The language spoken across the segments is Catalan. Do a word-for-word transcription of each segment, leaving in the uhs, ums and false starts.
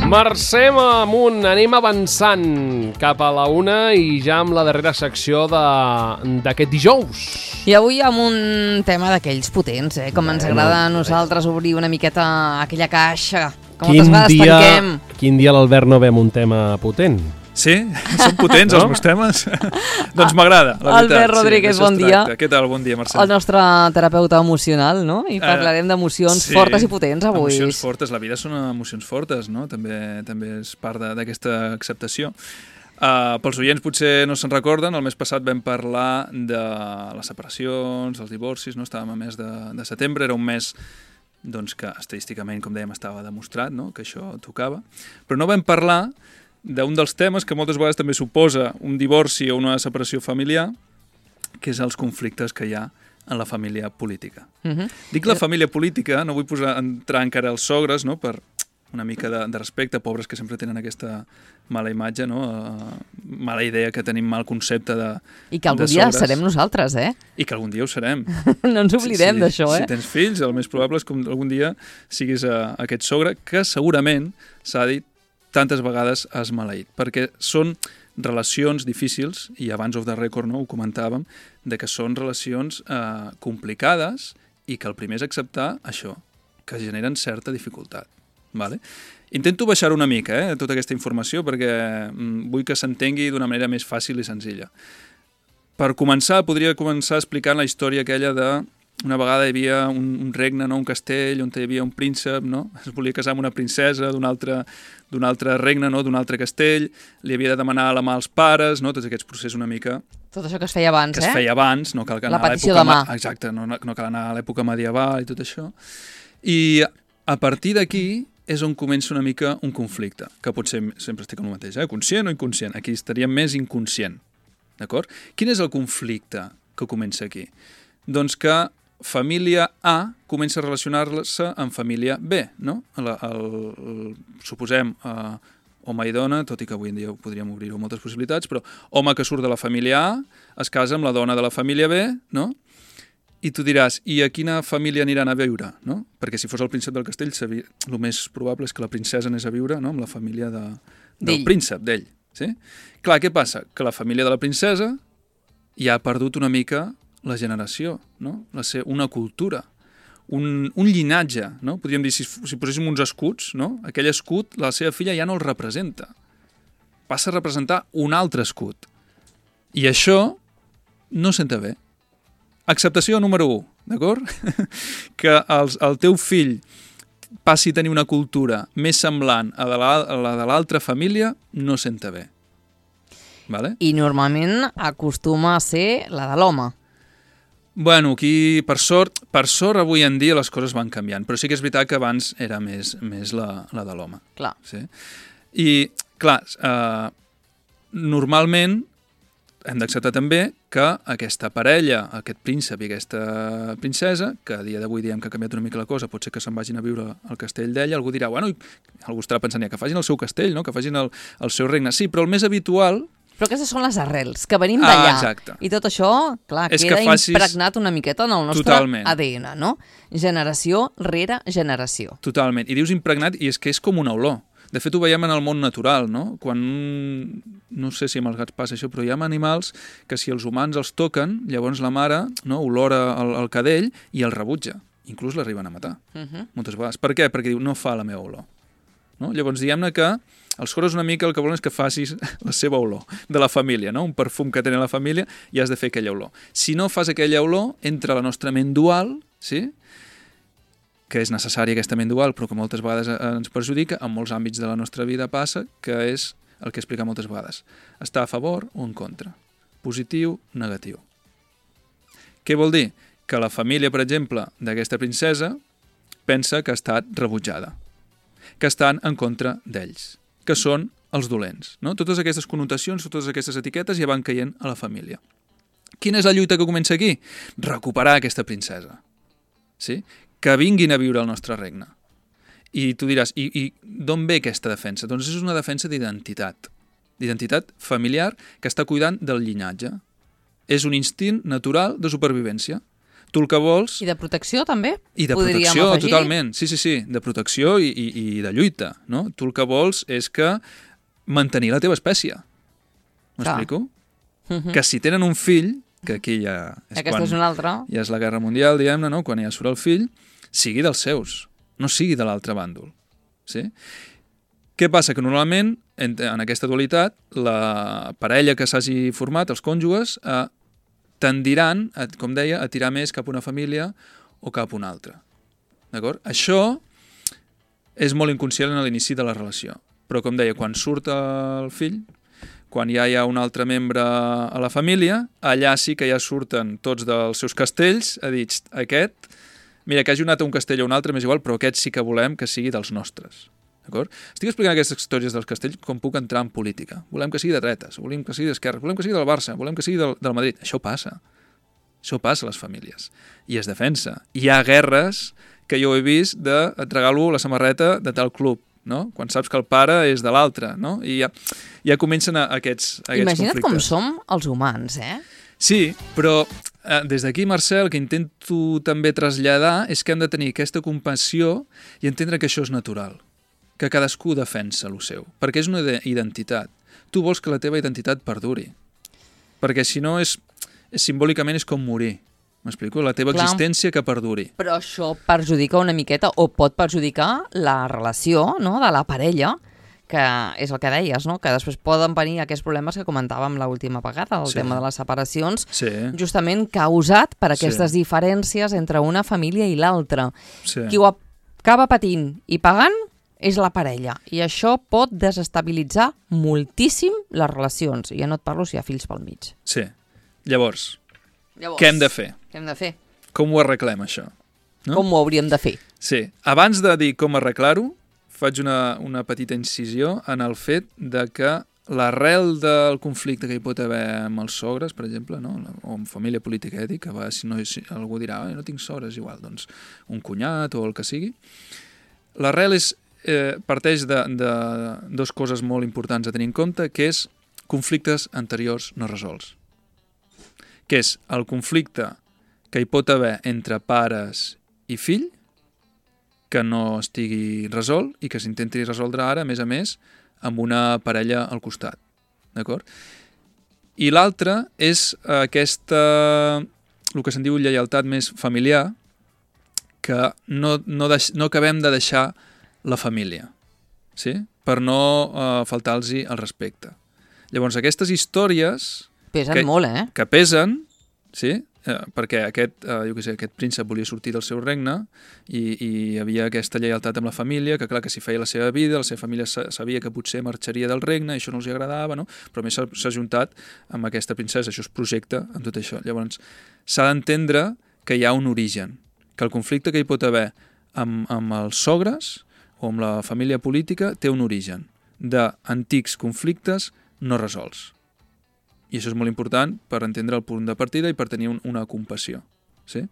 Marxem amunt, anem avançant cap a la una i ja amb la darrera secció d'aquest dijous. I avui amb un tema d'aquells potents, eh? Com ens agrada a nosaltres obrir una miqueta aquella caixa que moltes vegades tanquem. Quin dia l'Albert no ve amb un tema potent? Sí? Són potents no? Els meus temes? Doncs m'agrada, la veritat. Albert Rodríguez, sí, bon dia. Què tal? Bon dia, Mercè. El nostre terapeuta emocional, no? I parlarem d'emocions sí, fortes i potents avui. Emocions fortes, la vida són emocions fortes, no? També també és part d'aquesta acceptació. Uh, pels oients potser no se'n recorden, el mes passat vam parlar de les separacions, dels divorcis, no? Estàvem a mes de, de setembre, era un mes doncs, que estadísticament, com dèiem, estava demostrat, no? Que això tocava, però no vam parlar d'un dels temes que moltes vegades també suposa un divorci o una separació familiar, que és els conflictes que hi ha en la família política. Uh-huh. Dic la família política, no vull posar, entrar encara als sogres, no? Per una mica de, de respecte, pobres que sempre tenen aquesta mala imatge, no? Uh, mala idea, que tenim mal concepte de I que algun dia serem nosaltres, eh? I que algun dia ho serem. No ens oblidem sí, sí, d'això, eh? Si tens fills, el més probable és que algun dia siguis uh, aquest sogre, que segurament, s'ha dit, tantes vegades has maleït, perquè són relacions difícils, i abans of the record no, ho comentàvem, de que són relacions eh, complicades i que el primer és acceptar això, que generen certa dificultat. Vale? Intento baixar una mica eh, tota aquesta informació perquè mm, vull que s'entengui d'una manera més fàcil i senzilla. Per començar, podria començar explicant la història aquella de una vegada hi havia un, un regne, no? Un castell, on hi havia un príncep, no? Es volia casar amb una princesa d'un altre, d'un altre regne, no? D'un altre castell, li havia de demanar la mà als pares, no? Tots aquests processos una mica... Tot això que es feia abans, que eh? Que es feia abans, no cal anar la petició de mà. Exacte, no, no cal anar a l'època medieval i tot això. I a partir d'aquí és on comença una mica un conflicte, que potser sempre estic amb el mateix, eh? Conscient o inconscient? Aquí estaria més inconscient, d'acord? Quin és el conflicte que comença aquí? Doncs que família A comença a relacionar-se amb família B, no? El, el, el, suposem eh, home i dona, tot i que avui en dia podríem obrir-ho moltes possibilitats, però home que surt de la família A es casa amb la dona de la família B, no? I tu diràs, i a quina família aniran a viure, no? Perquè si fos el príncep del castell, el més probable és que la princesa anés a viure, no? Amb la família de, del príncep, d'ell. Sí? Clar, què passa? Que la família de la princesa ja ha perdut una mica la generació, no? La ser una cultura, un, un llinatge, no? Podríem dir, si, si poséssim uns escuts, no? Aquell escut, la seva filla ja no el representa. Passa a representar un altre escut. I això no senta bé. Acceptació número u, d'acord? Que els, el teu fill passi a tenir una cultura més semblant a la, a la de l'altra família, no senta bé. Vale? I normalment acostuma a ser la de l'home. Bueno, aquí, per sort, per sort, avui en dia les coses van canviant, però sí que és veritat que abans era més, més la, la de l'home. Clar. Sí? I, clar, eh, normalment hem d'acceptar també que aquesta parella, aquest príncep i aquesta princesa, que a dia d'avui diem que ha canviat una mica la cosa, pot ser que se'n vagin a viure al castell d'ella, algú dirà, bueno, algú estarà pensant ja que facin el seu castell, no? Que facin el, el seu regne. Sí, però el més habitual... Però aquestes són les arrels, que venim d'allà. Ah, exacte. I tot això, clar, és queda facis... impregnat una miqueta en el nostre Totalment. A D N, no? Generació rere generació. Totalment. I dius impregnat, i és que és com una olor. De fet, ho veiem en el món natural, no? Quan, no sé si amb els gats passa això, però hi ha animals que si els humans els toquen, llavors la mare, no, olora el, el cadell i el rebutja. Inclús l'arriben a matar, uh -huh. moltes vegades. Per què? Perquè diu, no fa la meva olor. No? Llavors, diguem-ne que els sogres una mica el que volen és que facis la seva olor de la família, no? Un perfum que tenen la família i has de fer aquella olor. Si no fas aquella olor, entra la nostra ment dual, sí? Que és necessària aquesta ment dual, però que moltes vegades ens perjudica, en molts àmbits de la nostra vida passa, que és el que explica moltes vegades. Està a favor o en contra. Positiu, negatiu. Què vol dir? Que la família, per exemple, d'aquesta princesa pensa que ha estat rebutjada, que estan en contra d'ells, que són els dolents. No? Totes aquestes connotacions, totes aquestes etiquetes ja van caient a la família. Quina és la lluita que comença aquí? Recuperar aquesta princesa. Sí? Que vinguin a viure al nostre regne. I tu diràs, i, i d'on ve aquesta defensa? Doncs és una defensa d'identitat. D'identitat familiar que està cuidant del llinatge. És un instint natural de supervivència. Tu el que vols... I de protecció, també? I de Podríem protecció, afegir? totalment. Sí, sí, sí, de protecció i, i, i de lluita, no? Tu el que vols és que mantenir la teva espècie. M'explico? Uh -huh. Que si tenen un fill, que aquí ja és Aquesta quan és una altra. ja és la Guerra Mundial, diguem-ne, no? Quan ja surt el fill, sigui dels seus, no sigui de l'altre bàndol. Sí? Què passa? Que normalment, en, en aquesta dualitat, la parella que s'hagi format, els cònjuges, eh, tendiran, a, com deia, a tirar més cap a una família o cap a una altra. D'acord? Això és molt inconscient a l'inici de la relació. Però, com deia, quan surt el fill, quan ja hi ha un altre membre a la família, allà sí que ja surten tots dels seus castells a dir, aquest, mira, que hagi anat a un castell o un altre, m'és igual, però aquest sí que volem que sigui dels nostres. D'acord? Estic explicant aquestes històries dels castells com puc entrar en política. Volem que sigui de dretes, volem que sigui d'esquerra, volem que sigui del Barça, volem que sigui del, del Madrid. Això passa. Això passa a les famílies. I es defensa. Hi ha guerres que jo he vist de et regalo la samarreta de tal club, no? Quan saps que el pare és de l'altre, no? I ja, ja comencen a, aquests, aquests Imagina't conflictes. com som els humans, eh? Sí, però eh, des d'aquí, Mercè, el que intento també traslladar és que hem de tenir aquesta compassió i entendre que això és natural, que cadascú defensa el seu, perquè és una identitat. Tu vols que la teva identitat perduri, perquè si no és, és simbòlicament és com morir. M'explico? La teva Clar. existència que perduri. Però això perjudica una miqueta o pot perjudicar la relació, no?, de la parella, que és el que deies, no?, que després poden venir aquests problemes que comentàvem l'última vegada, el Sí. tema de les separacions, Sí, justament causat per aquestes Sí. diferències entre una família i l'altra. sí. Qui ho acaba patint i pagant és la parella, i això pot desestabilitzar moltíssim les relacions. I ja no et parlo si hi ha fills pel mig. sí. Llavors, Llavors, què hem de fer? Què hem de fer? Com ho arreglem, això? No? Com ho hauríem de fer? Sí. Abans de dir com arreglar-ho, faig una, una petita incisió en el fet de que l'arrel del conflicte que hi pot haver amb els sogres, per exemple, no? O amb família política, eh? Dic, que va, si no, si algú dirà, no tinc sogres, igual, doncs un cunyat o el que sigui. L'arrel és, eh, parteix de, de dues coses molt importants a tenir en compte, que és conflictes anteriors no resolts. Que és el conflicte que hi pot haver entre pares i fill, que no estigui resolt i que s'intenti resoldre ara, a més a més, amb una parella al costat. D'acord? I l'altre és aquesta, el que se'n diu lleialtat més familiar, que no, no, deix, no acabem de deixar la família, sí? Per no eh, faltar-los el respecte. Llavors, aquestes històries... Pesen que, molt, eh? que pesen, sí? Eh, perquè aquest, eh, jo què sé, aquest príncep volia sortir del seu regne i, i hi havia aquesta lleialtat amb la família, que clar, que si feia la seva vida, la seva família sabia que potser marxaria del regne, i això no els agradava, no? Però a més s'ha juntat amb aquesta princesa, això es projecta amb tot això. Llavors, s'ha d'entendre que hi ha un origen, que el conflicte que hi pot haver amb, amb els sogres o amb la família política té un origen d'antics conflictes no resolts. I això és molt important per entendre el punt de partida i per tenir un, una compassió. Sí?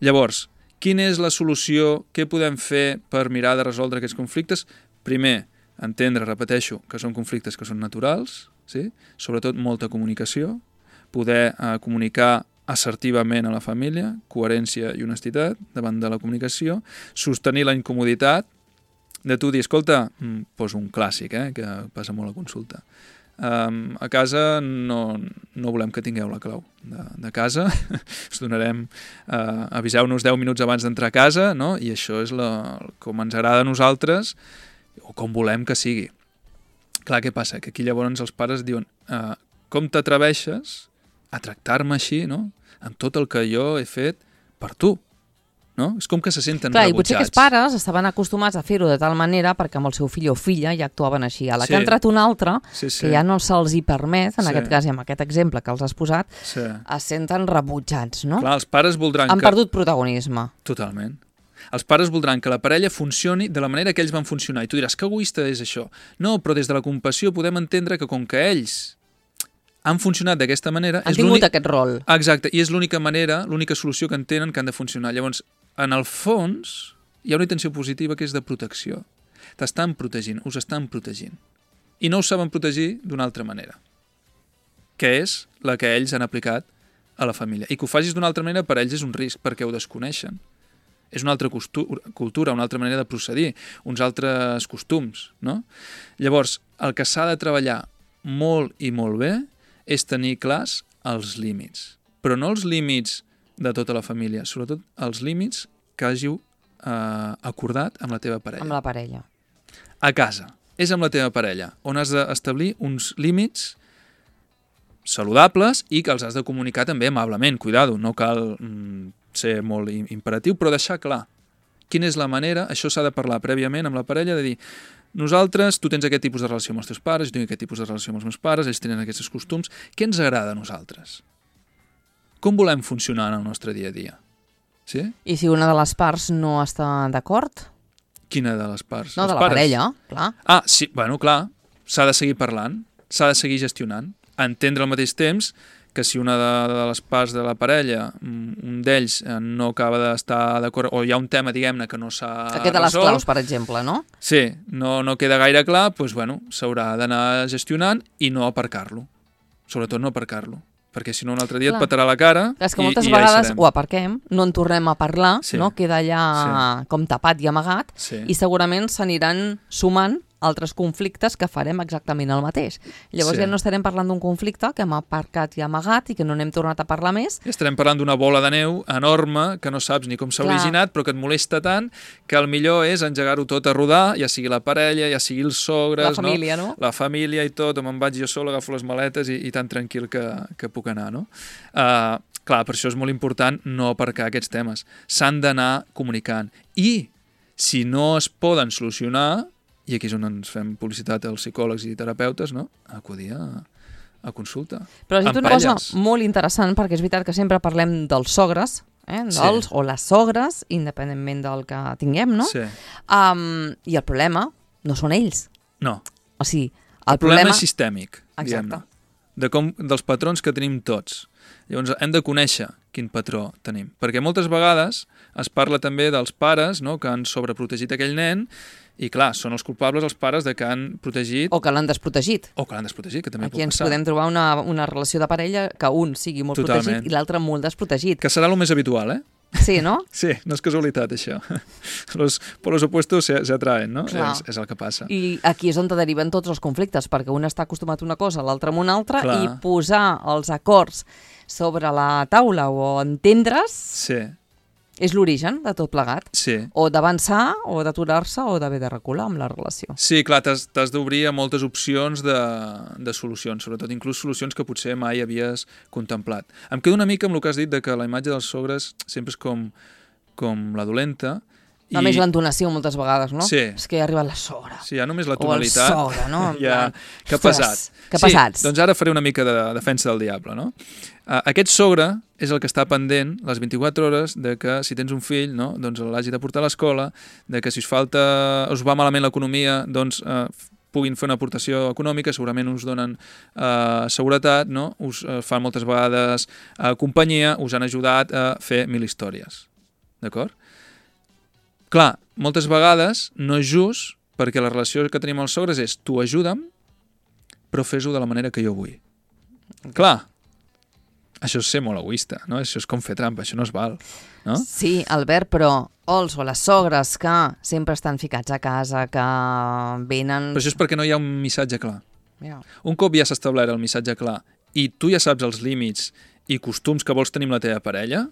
Llavors, quina és la solució? Què podem fer per mirar de resoldre aquests conflictes? Primer, entendre, repeteixo, que són conflictes que són naturals, sí? Sobretot molta comunicació, poder eh, comunicar assertivament a la família, coherència i honestitat davant de la comunicació, sostenir la incomoditat de tu dir, escolta, poso un clàssic, eh, que passa molt a consulta, Um, a casa no, no volem que tingueu la clau de, de casa, us donarem, uh, aviseu-nos deu minuts abans d'entrar a casa, no? I això és la, com ens agrada a nosaltres o com volem que sigui. Clar, què passa? Que aquí llavors els pares diuen uh, com t'atreveixes a tractar-me així, no? Amb tot el que jo he fet per tu. No? És com que se senten Clar, rebutjats. I potser que els pares estaven acostumats a fer-ho de tal manera perquè amb el seu fill o filla ja actuaven així. A la Sí. que ha entrat un altre, Sí, sí. que ja no se'ls hi permet, en Sí. aquest cas i amb aquest exemple que els has posat, Sí. es senten rebutjats, no? Clar, els pares voldran Han que... perdut protagonisme. Totalment. Els pares voldran que la parella funcioni de la manera que ells van funcionar. I tu diràs, que egoista és això. No, però des de la compassió podem entendre que com que ells han funcionat d'aquesta manera... Han és tingut l'únic- aquest rol. Exacte, i és l'única manera, l'única solució que entenen que han de funcionar. Llavors, en el fons, hi ha una intenció positiva que és de protecció. T'estan protegint, us estan protegint. I no us saben protegir d'una altra manera, que és la que ells han aplicat a la família. I que ho facis d'una altra manera per ells és un risc, perquè ho desconeixen. És una altra cultura, una altra manera de procedir, uns altres costums, no? Llavors, el que s'ha de treballar molt i molt bé és tenir clars els límits. Però no els límits de tota la família, sobretot els límits que hàgiu eh, acordat amb la teva parella. Amb la parella. A casa. És amb la teva parella, on has d'establir uns límits saludables i que els has de comunicar també amablement. Cuidado, no cal mm, ser molt imperatiu, però deixar clar quina és la manera, això s'ha de parlar prèviament amb la parella, de dir, nosaltres, tu tens aquest tipus de relació amb els teus pares, jo tinc aquest tipus de relació amb els meus pares, ells tenen aquests costums, què ens agrada a nosaltres? Com volem funcionar en el nostre dia a dia? Sí? I si una de les parts no està d'acord? Quina de les parts? No, els de la pares? parella, clar. Ah, sí, bueno, clar, s'ha de seguir parlant, s'ha de seguir gestionant, entendre al mateix temps que si una de, de les parts de la parella, un d'ells no acaba d'estar d'acord, o hi ha un tema, diguem-ne, que no s'ha resolt... Aquest de les claus, per exemple, no? Sí, no, no queda gaire clar, doncs, bueno, s'haurà d'anar gestionant i no aparcar-lo. Sobretot no aparcar-lo, perquè si no un altre dia clar. Et petarà la cara i, és que moltes i ja vegades ho aparquem, no en tornem a parlar, sí. no? Queda allà sí. com tapat i amagat, sí. i segurament s'aniran sumant altres conflictes que farem exactament el mateix. Llavors sí. ja no estarem parlant d'un conflicte que hem aparcat i amagat i que no n'hem tornat a parlar més. I estarem parlant d'una bola de neu enorme que no saps ni com s'ha originat, però que et molesta tant que el millor és engegar-ho tot a rodar, ja sigui la parella, ja sigui els sogres... La família, no? no? La família i tot, me'n vaig jo sol, agafo les maletes i, i tan tranquil que, que puc anar, no? Uh, clar, per això és molt important no aparcar aquests temes. S'han d'anar comunicant. I si no es poden solucionar, i aquí és on ens fem publicitat als psicòlegs i terapeutes, no? Acudir a, a consulta. Però has dit una cosa molt interessant, perquè és veritat que sempre parlem dels sogres, eh? dels, sí. o les sogres, independentment del que tinguem, no? Sí. Um, I el problema no són ells. No. O sigui, el, el problema, problema és sistèmic, exacte. De com, dels patrons que tenim tots. Llavors hem de conèixer quin patró tenim. Perquè moltes vegades es parla també dels pares, no?, que han sobreprotegit aquell nen. I clar, són els culpables els pares de que han protegit... O que l'han desprotegit. O que l'han desprotegit, que també Aquí pot ens passar. podem trobar una, una relació de parella que un sigui molt Totalment. protegit i l'altre molt desprotegit. Que serà el més habitual, eh? Sí, no? Sí, no és casualitat, això. Los, por los opuestos se, se atraen, no? És, és el que passa. I aquí és on te deriven tots els conflictes, perquè un està acostumat a una cosa, l'altre a una altra, clar. I posar els acords sobre la taula o entendre's... Sí. És l'origen de tot plegat. Sí. O d'avançar, o d'aturar-se, o d'haver de recular amb la relació. Sí, clar, t'has d'obrir a moltes opcions de, de solucions, sobretot inclús solucions que potser mai havies contemplat. Em quedo una mica amb el que has dit de que la imatge dels sogres sempre és com, com la dolenta. I... A més l'entonació moltes vegades, no? Sí. És que ha arribat la sogra. Sí, ja només la tonalitat. O el sogre, no? Ja, que pesat. Que pesats. Sí, doncs ara faré una mica de defensa del diable, no? Uh, aquest sogre és el que està pendent les vint-i-quatre hores de que si tens un fill, no, doncs l'hagi de portar a l'escola, de que si us falta, us va malament l'economia, doncs uh, puguin fer una aportació econòmica, segurament us donen uh, seguretat, no? Us uh, fan moltes vegades uh, companyia, us han ajudat a fer mil històries. D'acord? Clar, moltes vegades no és just perquè la relació que tenim amb els sogres és tu ajuda'm, però fes-ho de la manera que jo vull. Clar, això és ser molt egoista, no? Això és com fer trampa, això no es val, no? Sí, Albert, però els o les sogres que sempre estan ficats a casa, que venen... Però això és perquè no hi ha un missatge clar. Mira. Un cop ja s'ha establert el missatge clar i tu ja saps els límits i costums que vols tenir amb la teva parella,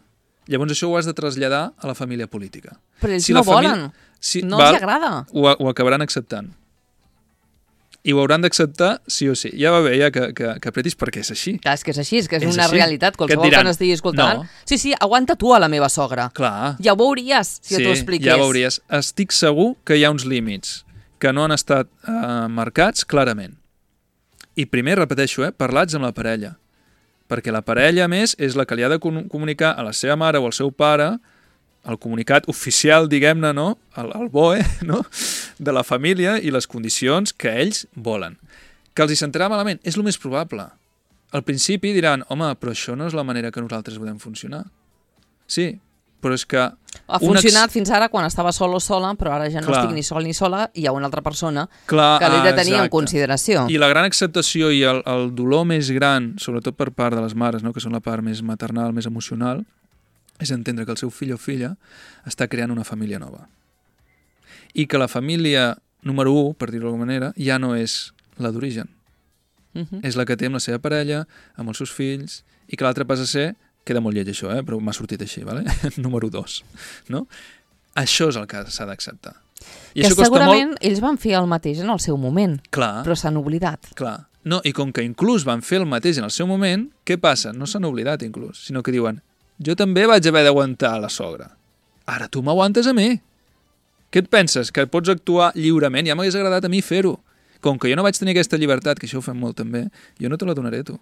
llavors això ho has de traslladar a la família política. Però ells si no família... volen, si... no val, els agrada. Ho, ho acabaran acceptant. I ho hauran d'acceptar sí o sí. Ja va bé ja que, que, que apretis perquè és així. Clar, és que és així, és que és, és una així. realitat. Qualsevol que, que n'estigui escoltant. No. Sí, sí, aguanta tu a la meva sogra. Clar. Ja ho veuries, si sí, t'ho expliqués. Ja veuries. Estic segur que hi ha uns límits que no han estat eh, marcats clarament. I primer, repeteixo, eh, parlats amb la parella. Perquè la parella, a més, és la que li ha de comunicar a la seva mare o al seu pare el comunicat oficial, diguem-ne, no? El, el B O E, no? De la família i les condicions que ells volen. Que els hi sentirà malament, és el més probable. Al principi diran, home, però això no és la manera que nosaltres podem funcionar. Sí, però és que... Ha funcionat ex... fins ara quan estava sol o sola, però ara ja no Clar. estic ni sol ni sola, i hi ha una altra persona Clar, que l'he de tenir exacte. en consideració. I la gran acceptació i el, el dolor més gran, sobretot per part de les mares, no? Que són la part més maternal, més emocional, és entendre que el seu fill o filla està creant una família nova. I que la família número u, per dir-ho d'alguna manera, ja no és la d'origen. Uh -huh. És la que té amb la seva parella, amb els seus fills, i que l'altre passa a ser, queda molt lleig això, eh? Però m'ha sortit així, vale? número dos. No? Això és el que s'ha d'acceptar. I que això costa segurament molt... ells van fer el mateix en el seu moment, Clar. però s'han oblidat. Clar. No, i com que inclús van fer el mateix en el seu moment, què passa? No s'han oblidat inclús, sinó que diuen jo també vaig haver d'aguantar la sogra. Ara tu m'aguantes a mi. Què et penses? Que pots actuar lliurement? Ja m'hagués agradat a mi fer-ho. Com que jo no vaig tenir aquesta llibertat, que això ho fem molt també, jo no te la donaré a tu.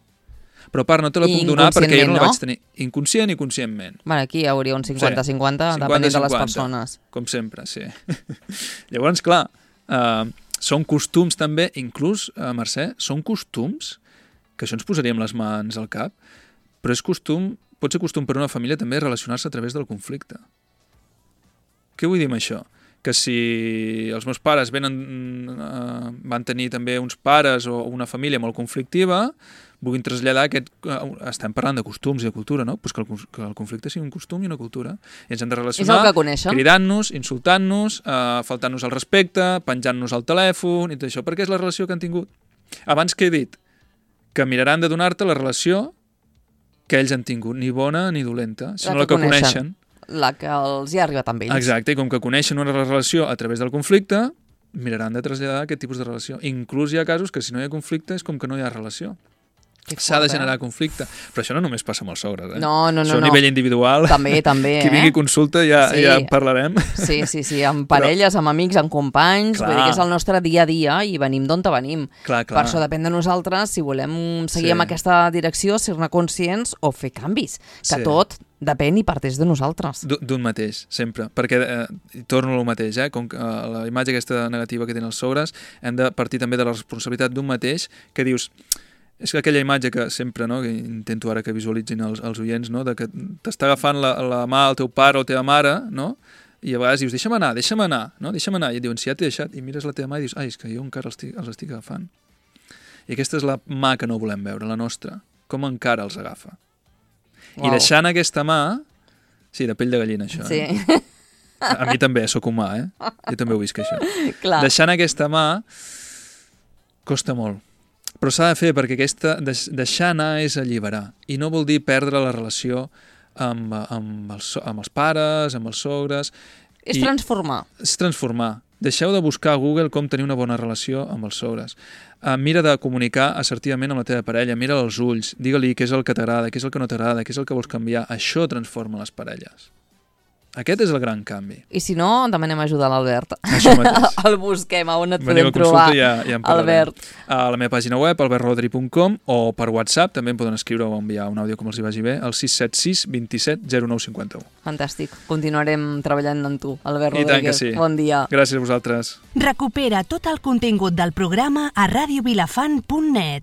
Però a part, no te la puc donar perquè jo no la no? vaig tenir inconscient i conscientment. Bueno, aquí hi hauria un cinquanta cinquanta, sí, depenent de les persones. Com sempre, sí. Llavors, clar, uh, són costums també, inclús, uh, Mercè, són costums, que això ens posaríem les mans al cap, però és costum, pot ser costum per una família també relacionar-se a través del conflicte. Què vull dir amb això? Que si els meus pares venen, uh, van tenir també uns pares o una família molt conflictiva, vulguin traslladar aquest... Uh, estem parlant de costums i de cultura, no? Pues que, el, que el conflicte sigui un costum i una cultura. I ens hem de relacionar cridant-nos, insultant-nos, uh, faltant-nos al respecte, penjant-nos al telèfon i tot això, perquè és la relació que han tingut. Abans que he dit que miraran de donar-te la relació que ells han tingut, ni bona ni dolenta, sinó la que, la que coneixen. coneixen. La que els hi ha arribat amb ells. Exacte, i com que coneixen una relació a través del conflicte, miraran de traslladar aquest tipus de relació. Inclús hi ha casos que si no hi ha conflicte és com que no hi ha relació. S'ha de generar conflicte. Però això no només passa amb els sogres, eh? No, no, no. Això a no. nivell individual. També, també, eh? Qui vingui a consulta ja, sí. ja en parlarem. Sí, sí, sí, amb parelles, amb amics, amb companys, clar. Vull dir que és el nostre dia a dia i venim d'on venim. Clar, clar. Per això depèn de nosaltres si volem seguir sí. amb aquesta direcció, ser-ne conscients o fer canvis. Que sí. tot depèn i parteix de nosaltres. D'un mateix, sempre. Perquè, eh, torno al mateix, eh? Com que eh, la imatge aquesta negativa que tenen els sogres, hem de partir també de la responsabilitat d'un mateix, que dius... És que aquella imatge que sempre, no, que intento ara que visualitzin els, els oients, no, de que t'està agafant la, la mà el teu pare o la teva mare, no, i a vegades dius, deixa'm anar, deixa'm anar, no, deixa'm anar, i et diuen, si ja t'he deixat, i mires la teva mà i dius, ai, és que jo encara els estic, els estic agafant. I aquesta és la mà que no volem veure, la nostra, com encara els agafa. Wow. I deixant aquesta mà, sí, de pell de gallina, això, sí. eh? A mi també, sóc humà, eh? Jo també ho visc, això. Clar. Deixant aquesta mà, costa molt. Però s'ha de fer perquè aquesta deixar anar és alliberar. I no vol dir perdre la relació amb, amb, els, amb els pares, amb els sogres. És I transformar. És transformar. Deixeu de buscar a Google com tenir una bona relació amb els sogres. Uh, mira de comunicar assertivament amb la teva parella, mira als ulls, digue-li què és el que t'agrada, què és el que no t'agrada, què és el que vols canviar. Això transforma les parelles. Aquest és el gran canvi. I si no, demanem ajuda a l'Albert. Això mateix. El busquem, on et Veniu podem trobar, ja, ja Albert. A la meva pàgina web, albert rodri punt com, o per WhatsApp, també em poden escriure o enviar un àudio com els hi vagi bé, al sis set sis, dos set, zero nou cinc u. Fantàstic. Continuarem treballant amb tu, Albert I Rodríguez. tant que sí. Bon dia. Gràcies a vosaltres. Recupera tot el contingut del programa a radio vilafant punt net.